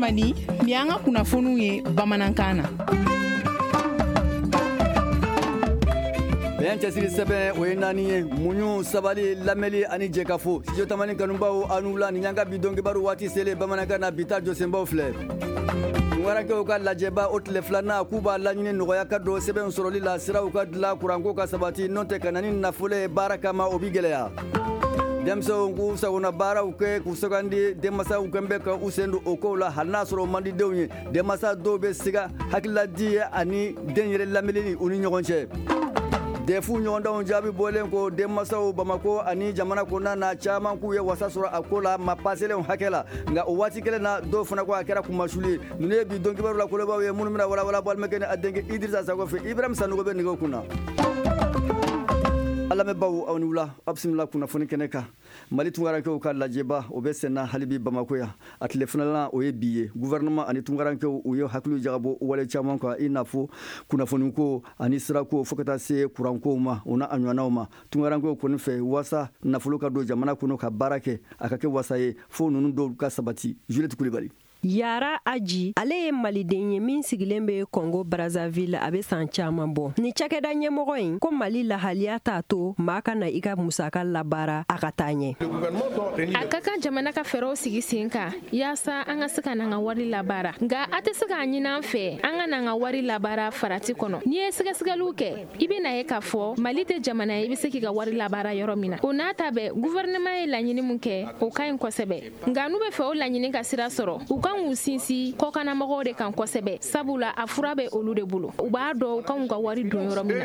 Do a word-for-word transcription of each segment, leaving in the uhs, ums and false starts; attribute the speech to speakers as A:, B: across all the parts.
A: Tamani, nin y'an ka kunnafoniw ye bamanankan na.
B: Bɛn cɛsiri sɛbɛn o ye naani ye: muɲu, sabali, lamɛnli ani jɛkafo. Studio Tamani kanubaw, aw ni wula. Nin y'an ka bi don kibaru waati selen bamanankan na. Bi ta jɔsenbaw filɛ: tunkarankew ka lajɛba o tile filanan, k'u b'a laɲini nɔgɔya ka don sɛbɛnw sɔrɔli la, siraw ka dilan, kuranko ka sabati, n'o tɛ ka na ni nafolo ye baara kama, o bi gɛlɛya. Denmisɛnw k'u sagona baaraw kɛ k'u sugandi, denmasaw kɛn bɛ ka u sen don o kow la, hali n'a sɔrɔ o man di denw ye. Denmasa dɔw bɛ siga hakililadi ye ani den yɛrɛ lamɛnni u ni ɲɔgɔn cɛ. D E F ɲɔgɔndanw jaabi bɔlen ko, denmasaw Bamako ani jamana kɔnɔna na caman k'u ye wasa sɔrɔ a ko la ma paselenw hakɛ la, nka o waati kelen na, dɔw fana ko a kɛra kunmasuli ye. Ninnu ye bi don kibaru la kolobaw ye, minnu bɛna walawala balimakɛ ni a denkɛ Idrissa Sago fɛ. Ibrahim Sanogo bɛ nɛgɛw kunna. An lamɛnbaw, aw ni wula, aw bisimila kunnafoni kɛnɛ kan. Mali tunkarankew ka lajɛba o bɛ senna halibi Bamako yan. A tile filanan o ye bi ye. Gouvernement ani tunkarankew u ye hakili jagabɔ wale caman kan, i n'a fɔ kunnafoniko ani sirako, fo ka taa se kurankow ma, o n'a ɲɔgɔnnaw ma. Tunkarankew kɔni fɛ, waasa nafolo ka don jamana kɔnɔ ka baara kɛ, a ka kɛ wasa ye, fo ninnu dɔw ka sabati. Juliette Kulibali.
C: Yara Aji, ale ye maliden ye min sigilen bɛ Kɔngo Brazzaville a bɛ san caman bɔ. Ni cakɛda ɲɛmɔgɔ in ko Mali lahaliya t'a to maa ka na i ka musaka labaara a ka taa ɲɛ.
D: A ka kan jamana ka fɛɛrɛw sigi sen kan yaasa an ka se ka n'an ka wari labaara, nka a tɛ se k'a ɲini an fɛ an ka n'an ka wari labaara farati kɔnɔ. N'i ye sɛgɛsɛgɛliw kɛ, i bɛ ye k'a fɔ Mali tɛ jamana ye i bɛ se k'i ka wari labaara yɔrɔ min na. O n'a ta bɛɛ, gouvernement ye laɲini min kɛ, o ka ɲi kosɛbɛ, nka n'u bɛ fɛ o laɲini ka sira sɔrɔ, u kan k'u sinsin kɔkanamɔgɔw de kan kosɛbɛ, sabula a fura bɛ olu de bolo, u b'a dɔn u kan k'u ka wari don yɔrɔ min na.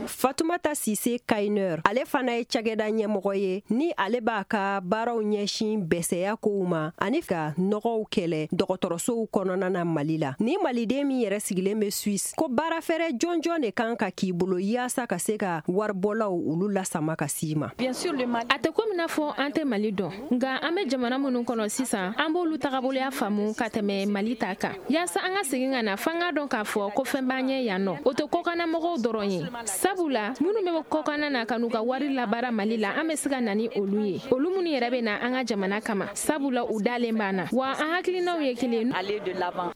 C: Fatumata Sise Kayinɛr, ale fana ye cakɛda ɲɛmɔgɔ ye, ni ale b'a ka baaraw ɲɛsin bɛsɛya kow ma ani ka nɔgɔw kɛlɛ dɔgɔtɔrɔsow kɔnɔna na Mali la. Ni maliden min yɛrɛ sigilen bɛ Suisse, ko baarafɛɛrɛ jɔnjɔn de kan ka k'i bolo yaasa ka se ka waribɔlaw olu lasama ka s'i ma?
D: A tɛ komi n'a fɔ an tɛ Mali dɔn, nka an bɛ jamana minnu kɔnɔ sisan, an b'olu tagaboloya faamu ka tɛmɛ Mali ta kan. Yaasa an ka segin ka na, f'an k'a dɔn k'a fɔ ko fɛn b'an ɲɛ yan nɔ. O tɛ kɔkanamɔgɔw dɔrɔn ye, sabula minnu bɛ kɔkanna na ka n'u ka wari labaara Mali la, an bɛ se ka na ni olu ye, olu minnu yɛrɛ bɛ na an ka jamana kama, sabula u dalen b'an na wa an hakilinaw ye kelen.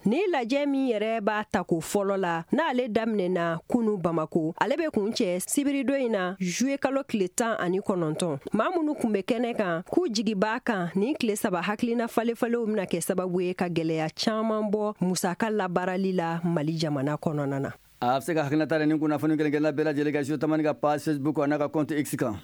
C: Ni lajɛ min yɛrɛ b'a tako fɔlɔ la, n'ale daminɛna kunu Bamako, ale bɛ kun cɛ sibiridon in na, juillet kalo tile tan ani kɔnɔntɔn. Maa minnu kun bɛ kɛnɛ kan k'u jigi b'a kan, nin tile saba hakilina falenfalenw bɛna kɛ sababu ye ka gɛlɛya caman bɔ musaka labaarali la Mali jamana kɔnɔna na.
B: A bɛ se ka hakilinata ni kunnafoni kelen kelenna bɛɛ lajɛlen kan Studio Tamani ka page Facebook a n'a ka compte X kan.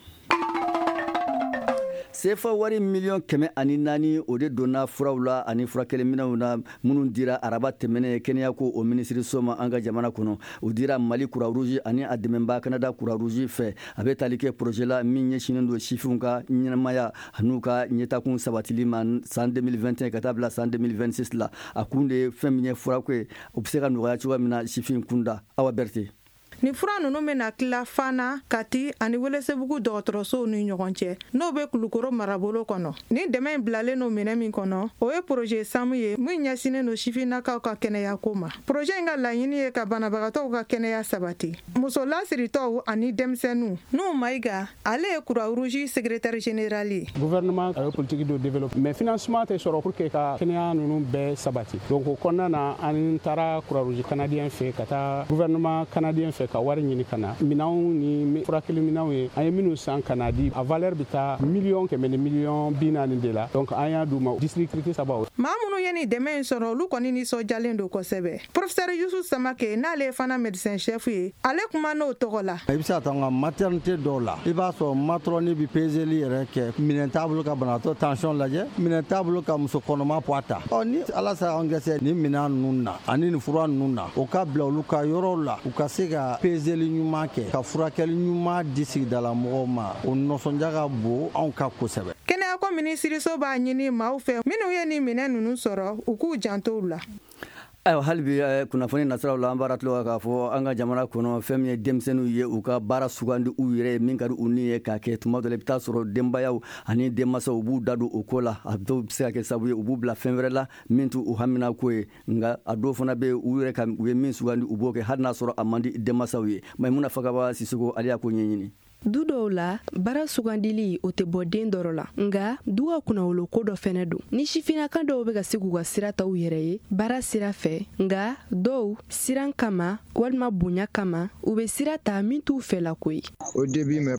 B: Sefa wari miliyɔn kɛmɛ ani naani, o de donna furaw la ani furakɛliminɛw na, minnu dira araba tɛmɛnen kɛnɛya ko o minisiriso ma an ka jamana kɔnɔ. O dira Mali Croix Rouge ani a dɛmɛba Canada Croix Rouge fɛ. A bɛ tali kɛ projet la min ɲɛsinnen don sifinw ka ɲɛnamaya an'u ka ɲɛtakun sabatili ma san deux mille vingt et un ka taa bila san deux mille vingt-six la. A kun de ye fɛn min ye furako ye, o bɛ se ka nɔgɔya cogoya min na sifin kunda. Awa Berete.
E: Nin fura ninnu bɛna tila Fana, Kati ani Welesebugu dɔgɔtɔrɔsow ni ɲɔgɔn cɛ, n'o bɛ Kulukoro marabolo kɔnɔ. Nin dɛmɛ in bilalen don minɛ min kɔnɔ, o ye projet SAMU ye min ɲɛsinnen don sifinnakaw ka kɛnɛyako ma. Projet in ka laɲini ye ka banabagatɔw ka kɛnɛya sabati, muso lasiritɔw ani denmisɛnninw. N'u Mayiga, ale ye Croix Rouge secrétaire général ye.
F: Gouvernement a ye politique dɔ développé, mais financement tɛ sɔrɔ pour que ka kɛnɛya ninnu bɛɛ sabati. Donc o kɔnɔna na, an taara Croix Rouge canadien fɛ, ka taa gouvernement canadien fɛ, ka wari ɲini ka na minɛnw ni furakɛli minɛnw ye. An ye minnu san ka na di, a valeur bɛ taa miliyɔn kɛmɛ ni miliyɔn bi naani de la. Donc an y'a d'u ma district saba.
E: Maa minnu ye nin dɛmɛ in sɔrɔ, olu kɔni nisɔndiyalen don kosɛbɛ. Professeur Yusu Samake, n'ale ye fana médecin chef ye, ale kuma n'o tɔgɔ la.
G: I bɛ se ka taa n ka maternité dɔw la, i b'a sɔrɔ matron bɛ peseli yɛrɛ kɛ, minɛn t'a bolo ka banabaatɔ tension lajɛ, minɛn t'a bolo ka muso kɔnɔma poids ta. Ɔ ni Ala sera an gɛsɛ nin minɛn ninnu na ani nin fura ninnu na, o ka bila olu ka yɔrɔw la, u ka se ka peseli ɲuman kɛ, ka furakɛli ɲuman di sigidala mɔgɔw ma, o nisɔndiya ka bon anw ka kosɛbɛ.
E: Kɛnɛyako minisiriso b'a ɲini maaw fɛ minnu ye nin minɛn ninnu sɔrɔ, u k'u janto u la.
B: Ayiwa, hali bi kunnafoni nasiraw la, an b'ara tulo k'a fɔ an ka jamana kɔnɔ, fɛn min ye denmisɛnninw ye u ka baara sugandi u yɛrɛ ye min ka di u ni ye k'a kɛ. Tuma dɔ la, i bɛ taa sɔrɔ denbayaw ani denmansaw u b'u da don o ko la. A dɔw bɛ se ka kɛ sababu ye u b'u bila fɛn wɛrɛ la min t'u hamina ko ye, nka a dɔw fana bɛ yen, u yɛrɛ ka u ye min sugandi, u b'o kɛ hali n'a sɔrɔ a man di denmansaw ye. Maimuna Fakaba Sisoko, ale y'a ko ɲɛɲini.
H: Du dɔw la, baara sugandili o tɛ bɔ den dɔrɔ la, nka du ka kunnawolo ko dɔ fɛnɛ don. Ni sifinnakan dɔw bɛ ka se k'u ka sira ta u yɛrɛ ye baara sira fɛ, nka dɔw siran kama walima bonya kama, u bɛ sira ta min t'u fɛla ko ye.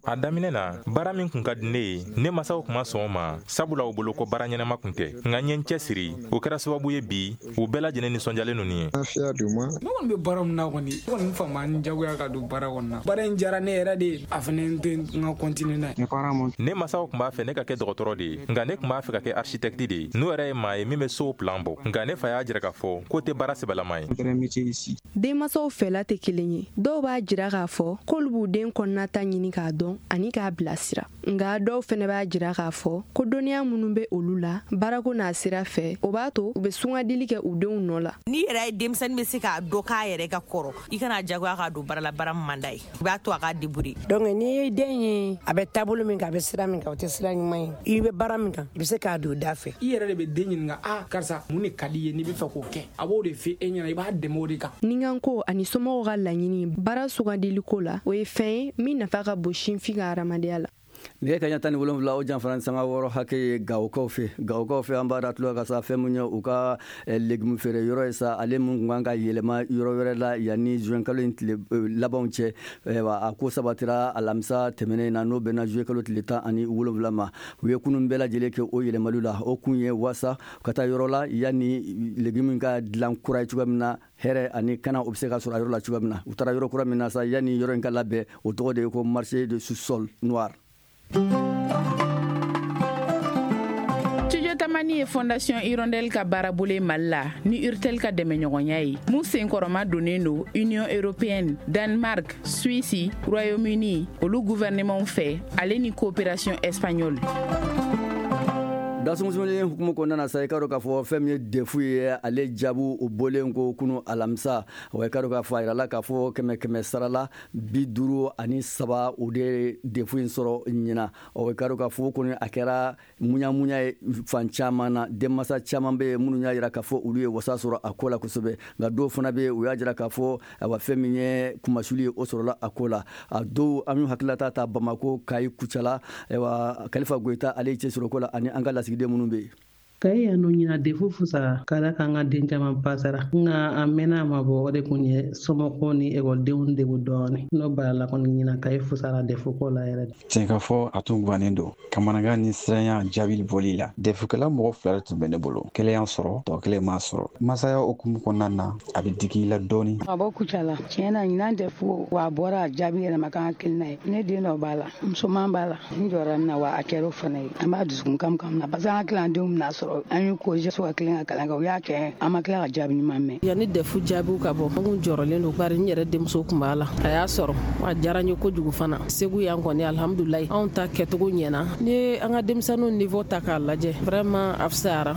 I: A daminɛ na, baara min kun ka di ne ye, ne masaw kun ma sɔn o ma, sabula u bolo ko baara ɲɛnama kun tɛ. Nka n ye n cɛsiri, o kɛra sababu ye bi u bɛɛ lajɛlen nisɔndiyalen don nin ye.
J: Ne kɔni bɛ baara min na kɔni, ne kɔni fa ma n jagoya ka don baara kɔnɔ na. Baara in diyara ne yɛrɛ de ye, a fana tɛ n ka continuer n'a ye.
I: Ne masaw tun b'a fɛ ne ka kɛ dɔgɔtɔrɔ de ye, nka ne tun b'a fɛ ka kɛ architecte de ye. N'o yɛrɛ ye maa ye min bɛ sow plan bɔ, nka ne fa y'a jira k'a fɔ k'o tɛ baara sɛbɛlama ye.
H: Denmansaw fɛla tɛ kelen ye. Dɔw b'a jira k'a fɔ k'olu b'u den kɔnɔnata ɲini k'a dɔn ani k'a bilasira, nka dɔw fɛnɛ b'a jira k'a fɔ ko dɔnniya minnu bɛ olu la baarako n'a sira fɛ, o b'a to u bɛ sungandili kɛ u denw nɔ la.
K: N'i yɛrɛ ye denmisɛnnin bɛ se k'a dɔn k'a yɛrɛ ka kɔrɔ, i kana jagoya k'a don baara la, baara min man d'a ye, i b'a to a k'a débrouiller.
L: Donc n'i ye den ye, a bɛ taabolo min kan, a bɛ sira min kan, o tɛ sira ɲuman ye. I bɛ baara min kan, i bɛ se k'a don da fɛ.
J: I yɛrɛ de bɛ den ɲininka, a karisa, mun de ka di i ye n'i bɛ fɛ k'o kɛ? A b'o de fɔ e ɲɛna, i b'a dɛmɛ o de kan.
H: Ninkanko ani somɔgɔw ka laɲini baara sugandili ko la, o ye fɛn ye min nafa ka bon sinfin ka hadamadenya la.
B: Nɛgɛ kaɲa tan ni wolonwula o janfara ni sanga wɔɔrɔ hakɛ ye Gawokaw fɛ. Gawokaw fɛ, an b'a da tulo ka sa fɛn mun ye u ka legume feere yɔrɔ ye sa, ale mun kun kan ka yɛlɛma yɔrɔ wɛrɛ la yanni juin kalo in tile labanw cɛ. A ko sabatira alamisa tɛmɛnen na, n'o bɛnna juin kalo tile tan ani wolonwula ma. U ye kunun bɛɛ lajɛlen kɛ o yɛlɛmaliw la. O kun ye wasa ka taa yɔrɔ la yanni legume ka dilan kura ye cogoya min na, hɛrɛ ani kana o bɛ se ka sɔrɔ a yɔrɔ la cogoya min na. U taara yɔrɔ kura min na sa, yanni yɔrɔ in ka labɛn, o tɔgɔ de ye ko marché de sous-sol noir.
A: Studio Tamani ye Fondation Hirondelle ka baarabolo ye Mali la ni Urtel ka dɛmɛɲɔgɔnya ye, mun senkɔrɔma donnen don Union européenne, Danemark, Suisse, Royaume-Uni olu gouvernement fɛ, ale ni coopération espagnole.
B: Dasumuni hukumu kɔnɔna na sa, i ka dɔn k'a fɔ fɛn min ye defu ye, ale jaabu o bɔlen ko kunu alamisa. Wa i ka dɔn k'a fɔ a yirala k'a fɔ kɛmɛ kɛmɛ sarala bi duuru ani saba o de defu in sɔrɔ ɲina. Ɔ i ka dɔn k'a fɔ kɔni a kɛra muɲamuɲa ye fan caman na. Denmansa caman bɛ yen minnu y'a jira k'a fɔ olu ye wasa sɔrɔ a ko la kosɛbɛ, nka dɔw fana bɛ yen u y'a jira k'a fɔ ayiwa fɛn min ye kumasuli ye o sɔrɔla a ko la. A dɔw an y'u hakililata ta Bamakɔ, Kayi, Kucala, ayiwa Kalifa Goyita ale ye cɛsiri ko la ani an ka lasigiden minnu bɛ yen.
M: Kayi yan nɔ ɲina defu fusara ka da kan ka den caman pasara, nka a mɛnna a ma bɔ, o de kun ye somɔgɔw ni ekɔlidenw degun dɔɔni. N'o barala kɔni ɲina Kayi fusara defu ko la yɛrɛ.
N: Tiɲɛ ka fɔ, a tun gannen don kamanagan ni siranya jaabi bɔli la. Defukɛla mɔgɔ fila de tun bɛ ne bolo, kelen y'an sɔrɔ, tɔ kelen m'a sɔrɔ. Masaya hukumu kɔnɔna na, a bɛ digi i la dɔɔni.
O: Ka bɔ Kucala, tiɲɛ na ɲinan defu wa a bɔra a jaabi yɛrɛ ma kan hakilina ye. Ne den dɔ b'a la, musoman b'a la, n jɔra min na wa a kɛra o fana ye. An b'a dusukun kam kam na parce que an hakili an denw bɛna sɔrɔ. An y'u koje so ka tilen ka kalan kɛ, u y'a kɛ an ma tila ka jaabi ɲuman mɛn.
P: Yanni defu jaabiw ka bɔ, an kun jɔrɔlen don, bari n yɛrɛ denmuso kun b'a la, a y'a sɔrɔ a diyara n ye kojugu fana. Segu yan kɔni alhamdulilayi, anw ta kɛcogo ɲɛna. Ni an ka denmisɛnninw niveau ta k'a lajɛ, vraiment a fisayara.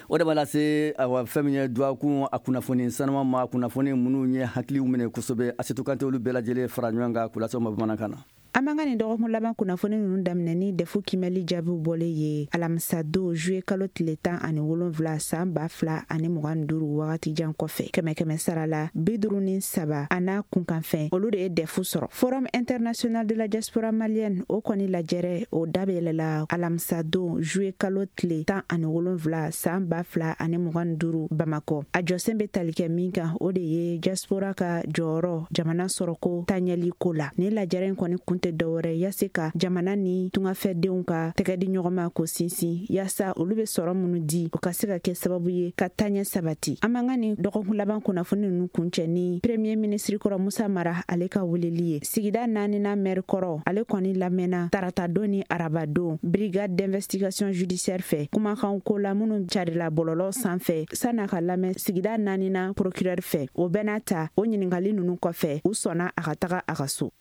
B: O de b'a lase awa fɛn min ye dɔgɔkun a kunnafoni sanuma ma, kunnafoni minnu ye hakiliw minɛ kosɛbɛ. Asetu Kante olu bɛɛ lajɛlen fara ɲɔgɔn kan k'u lase aw ma bamanankan na.
Q: An b'an ka nin dɔgɔkun laban kunnafoni ninnu daminɛ ni defu kimɛli jaabiw bɔlen ye alamisa don juillet kalo tile tan ani wolonwula san ba fila ani mugan ni duuru wagati jan kɔfɛ. Kɛmɛ kɛmɛ sara la bi duuru ni saba a n'a kunkanfɛn olu de ye defu sɔrɔ. Forum international de la diaspora malienne o kɔni lajɛrɛ o da bɛ yɛlɛla alamisa don juillet kalo tile tan ani wolonwula san ba fila ani mugan ni duuru Bamakɔ. A jɔsen bɛ tali kɛ min kan, o de ye diaspora ka jɔyɔrɔ jamana sɔrɔko taɲɛli ko la. Nin lajɛrɛ in kɔni kun tɛ dɔwɛrɛ yase ka jamana ni tungafɛdenw ka tɛgɛ di ɲɔgɔn ma ko sinsin, yaasa olu bɛ sɔrɔ minnu di o ka se ka kɛ sababu ye ka taɲɛ sabati. An b'an ka nin dɔgɔkun laban kunnafoni ninnu kuncɛ ni premier ministre kɔrɔ Musa Mara ale ka weleli ye. Sigida naaninan maire kɔrɔ ale kɔni lamɛnna tarata don ni araba don brigade d'investigation judiciaire fɛ kumakan ko la minnu carila bɔlɔlɔ sanfɛ san'a ka lamɛn sigida naaninan procureur fɛ. O bɛɛ n'a ta, o ɲininkali ninnu kɔfɛ u sɔnna a ka taga a ka so.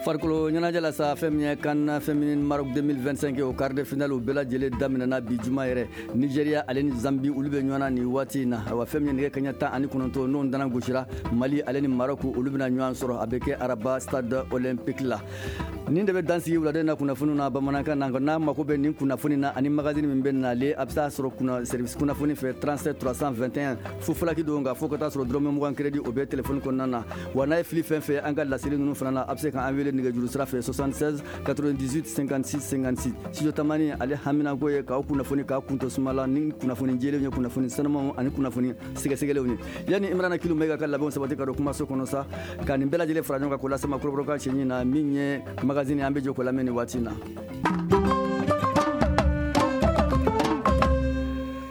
B: Farikolo ɲɛnajɛ la sa, fɛn min ye CAN féminine Maroc deux mille vingt-cinq o quart de finale o bɛɛ lajɛlen daminɛna bi juma yɛrɛ. Nigeria ale ni Zambie olu bɛ ɲɔgɔn na nin waati in na. Ayiwa fɛn min ye nɛgɛ kaɲɛ tan ani kɔnɔntɔn n'o dana gosira, Mali ale ni Maroc olu bɛna ɲɔgɔn sɔrɔ, a bɛ kɛ araba stade olympique la. Nin de bɛ dan sigi wuladen na kunnafoniw na bamanankan na. Nka n'a mako bɛ nin kunnafoni na ani magazine min bɛ nalen, a bɛ se a sɔrɔ kunna service kunnafoni fɛ trente-sept trois cent vingt et un fu fulaki don, nka fo ka taa sɔrɔ dɔrɔmɛ mugan crédit o bɛ téléphone kɔnɔna na. Wa n'a ye fili fɛn fɛn an ka laseli ninnu fana na, a bɛ se k'an wele nɛgɛjuru sira fɛ soixante-seize quatre-vingt-dix-huit cinquante-six cinquante-six. Studio Tamani ale haminanko ye k'aw kunnafoni k'aw kunto suma la ni kunnafoni jɛlenw ye, kunnafoni sanumanw ani kunnafoni sɛgɛsɛgɛlenw ye. Yanni Imrana Kilu Mayiga ka labɛnw sabati ka don kumaso kɔnɔ sa, ka nin bɛɛ lajɛlen fara ɲɔgɔn kan k'o lase ma kɔrɔbɔrɔkan cɛɲi na, min ye magazine an bɛ jɔ k'o lamɛn nin waati in na.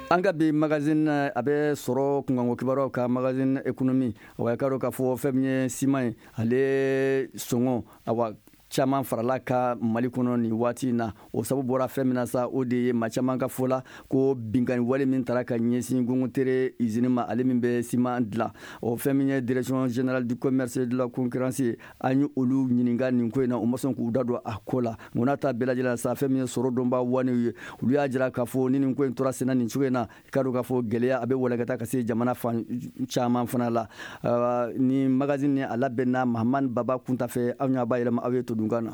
B: An ka bi magazine a bɛ sɔrɔ kunkanko kibaruyaw ka magazine économie. Awa, k'a dɔn k'a fɔ fɛn min ye siman ye, ale sɔngɔ awa caman farala ka Mali kɔnɔ nin waati in na. O sababu bɔra fɛn min na sa, o de ye maa caman ka fɔ la ko binkanni wale min taara ka ɲɛsin Gongotere usine ma, ale min bɛ siman dilan. O fɛn min ye direction générale du commerce et de la concurrence ye, an ye olu ɲininka nin ko in na, u ma sɔn k'u da don a ko la. Nka n'a ta bɛɛ lajɛlen sa, fɛn min ye sɔrɔ dɔnba wanew ye, olu y'a jira k'a fɔ ni nin ko in tora senna nin cogo in na, i k'a dɔn k'a fɔ gɛlɛya a bɛ walankata ka se jamana fan caman fana la. Ni magazine ni a labɛnna Mahamani Baba Kunta fɛ, aw y'a bayɛlɛma aw ye to dunkan na.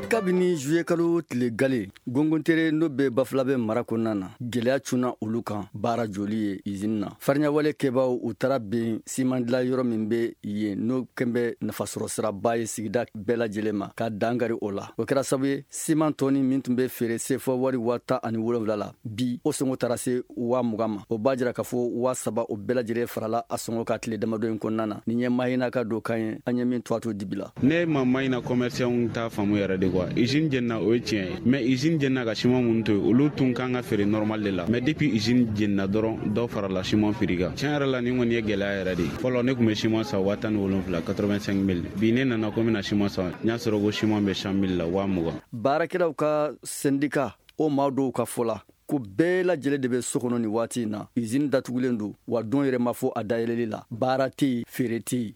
B: Kabini juillet kalo tile gale, Gongontere n'o bɛ Bafulabɛ mara kɔnɔna na, gɛlɛya cunna olu kan baara joli ye usine na. Farinyawale kɛbaaw u taara ben siman dilan yɔrɔ min bɛ yen, n'o kɛn bɛ nafasɔrɔ siraba ye sigida bɛɛ lajɛlen ma, ka dankari o la. O kɛra sababu ye siman tɔni min tun bɛ feere sefa wari waa tan ani wolonwula la, bi o sɔngɔ taara se waa mugan ma. O b'a jira k'a fɔ waa saba o bɛɛ lajɛlen farala a sɔngɔ kan tile damadɔ in kɔnɔna na. Nin ye Mahina ka don kan ye, an ye min to a to dibi la.
R: Ne ma Mahina commerçant ta faamu yɛrɛ de quoi. Usine jenna o ye tiɲɛ ye, mais usine jenna ka siman minnu to yen, olu tun kan ka feere normal de la, mais depuis usine jenna dɔrɔn dɔ farala siman prix kan. Tiɲɛ yɛrɛ la nin kɔni ye gɛlɛya yɛrɛ de ye. Fɔlɔ ne tun bɛ siman san waa tan ni wolonwula quatre-vingt-cinq mille, bi ne nana ko n bɛna siman san, n y'a sɔrɔ ko siman bɛ cent mille la, waa mugan.
B: Baarakɛlaw ka syndicat o maa dɔw ka fɔ la ko bɛɛ lajɛlen de bɛ so kɔnɔ nin waati in na, usine datugulen don, wa don yɛrɛ ma fɔ a dayɛlɛli la, baara tɛ yen, feere tɛ yen.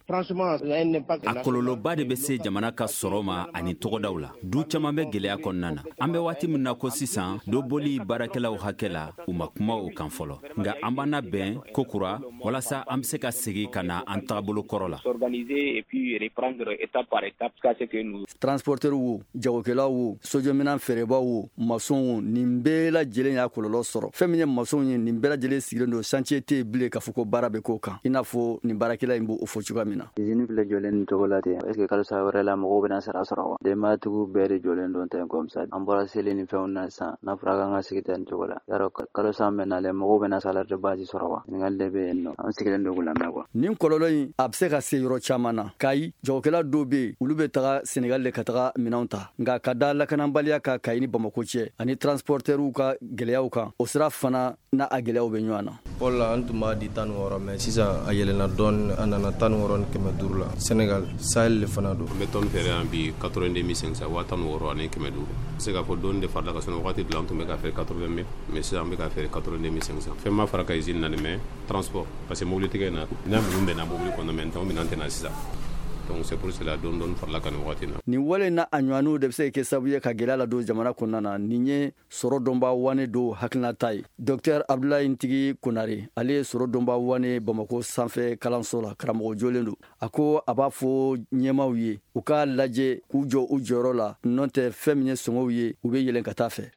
S: A kɔlɔlɔba de bɛ se jamana ka sɔrɔ ma ani tɔgɔdaw la. Du caman bɛ gɛlɛya kɔnɔna na. An bɛ waati min na ko sisan, dɔ bɔli baarakɛlaw hakɛ la, u ma kuma o kan fɔlɔ. Nka an b'an labɛn ko kura walasa an bɛ se ka segin ka na an tagabolo kɔrɔ la.
B: Transporteur wo, jagokɛlaw wo, sojɔminɛn feerebaaw wo, maçon wo, nin bɛɛ lajɛlen y'a kɔlɔlɔ sɔrɔ. Fɛn min ye maçon ye, nin bɛɛ lajɛlen sigilen don, chantier tɛ yen bilen k'a fɔ ko baara bɛ k'o kan, i n'a fɔ nin baarakɛla in b'o fɔ cogoya min na.
T: Usine filɛ jɔlen nin cogo la ten, est ce que kalo saba wɛrɛ la mɔgɔw bɛna sara sɔrɔ wa? Denbayatigiw bɛɛ de jɔlen don ten comme ça. An bɔra seli ni fɛnw na sisan, n'a fɔra k'an ka sigi ten nin cogo la, yarɔ kalo saba bɛ nalen mɔgɔw bɛna salaire de base sɔrɔ wa? Ɲininkali de bɛ yen nɔ, an sigilen don k'u lamɛn quoi.
B: Nin kɔlɔlɔ in a bɛ se ka se yɔrɔ caman na. Kayi jagokɛla dɔw bɛ yen, olu bɛ taga Senegal de ka taga minɛnw ta, nka ka da lakanabaliya kan Kayi ni Bamako cɛ ani transporteurs ka gɛlɛyaw kan, o sira fana n'a a gɛlɛyaw bɛ ɲɔgɔn na.
U: Fɔlɔ la an tun b'a di tan ni wɔɔrɔ, mais sisan a yɛlɛnna dɔɔni, a nana tan ni wɔɔrɔ ni kɛmɛ duuru la. Senegal Sahel de fana don.
V: An bɛ tɔni feere yan bi quatre-vingt-deux mille cinq cents, waa tan ni wɔɔrɔ ani kɛmɛ duuru. N se k'a fɔ dɔɔni de farala ka sɔrɔ wagati dɔ la an tun bɛ ka feere quatre-vingt mille, mais sisan an bɛ ka feere quatre-vingt-deux mille cinq cents. Fɛn ma fara ka usine na nin, mais transport, parce que mobilitigi in na n'a minnu bɛnna mobili kɔnɔ, mais n minɛn tɛ na sisan. Donc c'est pour cela dɔɔni dɔɔni farala kan nin waati in na.
B: Nin wale in n'a a ɲɔgɔnnaw de bɛ se ka kɛ sababu ye ka gɛlɛya ladon jamana kɔnɔna na. Nin ye sɔrɔ dɔnba wane dɔw hakilinata ye. Docteur Abdoulaye Ntigi Konare, ale ye sɔrɔ dɔnba wane Bamako sanfɛ kalanso la, karamɔgɔ jolen don. A ko a b'a fɔ ɲɛmaaw ye u k'a lajɛ k'u jɔ u jɔyɔrɔ la, n'o tɛ fɛn min ye sɔngɔw ye, u bɛ yɛlɛn ka taa fɛ.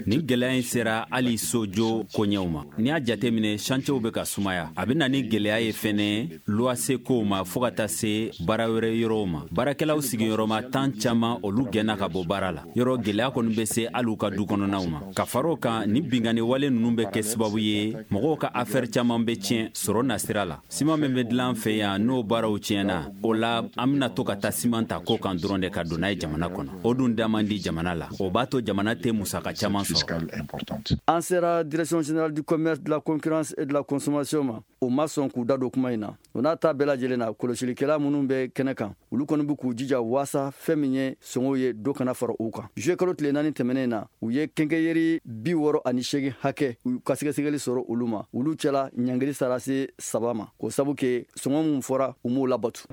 S: Nin gɛlɛya in sera hali sojo koɲɛw ma. N'i y'a jateminɛ, chantiers bɛ ka sumaya. A bɛ na ni gɛlɛya ye fɛnɛ luwase kow ma fo ka taa se baara wɛrɛ yɔrɔw ma. Baarakɛlaw sigiyɔrɔma tan caman olu gɛnna ka bɔ baara la. Yɔrɔ gɛlɛya kɔni bɛ se hali u ka du kɔnɔnaw ma. Ka fara o kan, ni binkanni wale ninnu bɛ kɛ sababu ye mɔgɔw ka affaire caman bɛ tiɲɛ sɔrɔ nasira la. Siman min bɛ dilan fɛ yan, n'o baaraw tiɲɛna, o la an bɛna to ka taa siman ta ko kan dɔrɔn de ka don n'a ye jamana kɔnɔ. O dun da man di jamana la. O b'a to jamana tɛ musaka caman sɔrɔ.
B: An sera direction générale du commerce, de la concurrence et de la consommation ma, o ma sɔn k'u da don kuma in na. O n'a ta bɛɛ lajɛlen na, kɔlɔsilikɛla minnu bɛ kɛnɛ kan, olu kɔni bɛ k'u jija waasa fɛn min ye sɔngɔw ye dɔ kana fara u kan. Juillet kalo tile naani tɛmɛnen na, u ye kɛnkɛyeri bi wɔɔrɔ ani seegin hakɛ u ka sɛgɛsɛgɛli sɔrɔ olu ma. Olu cɛla ɲangili sara se saba ma, k'o sabu kɛ sɔngɔ min fɔra u m'o labatu.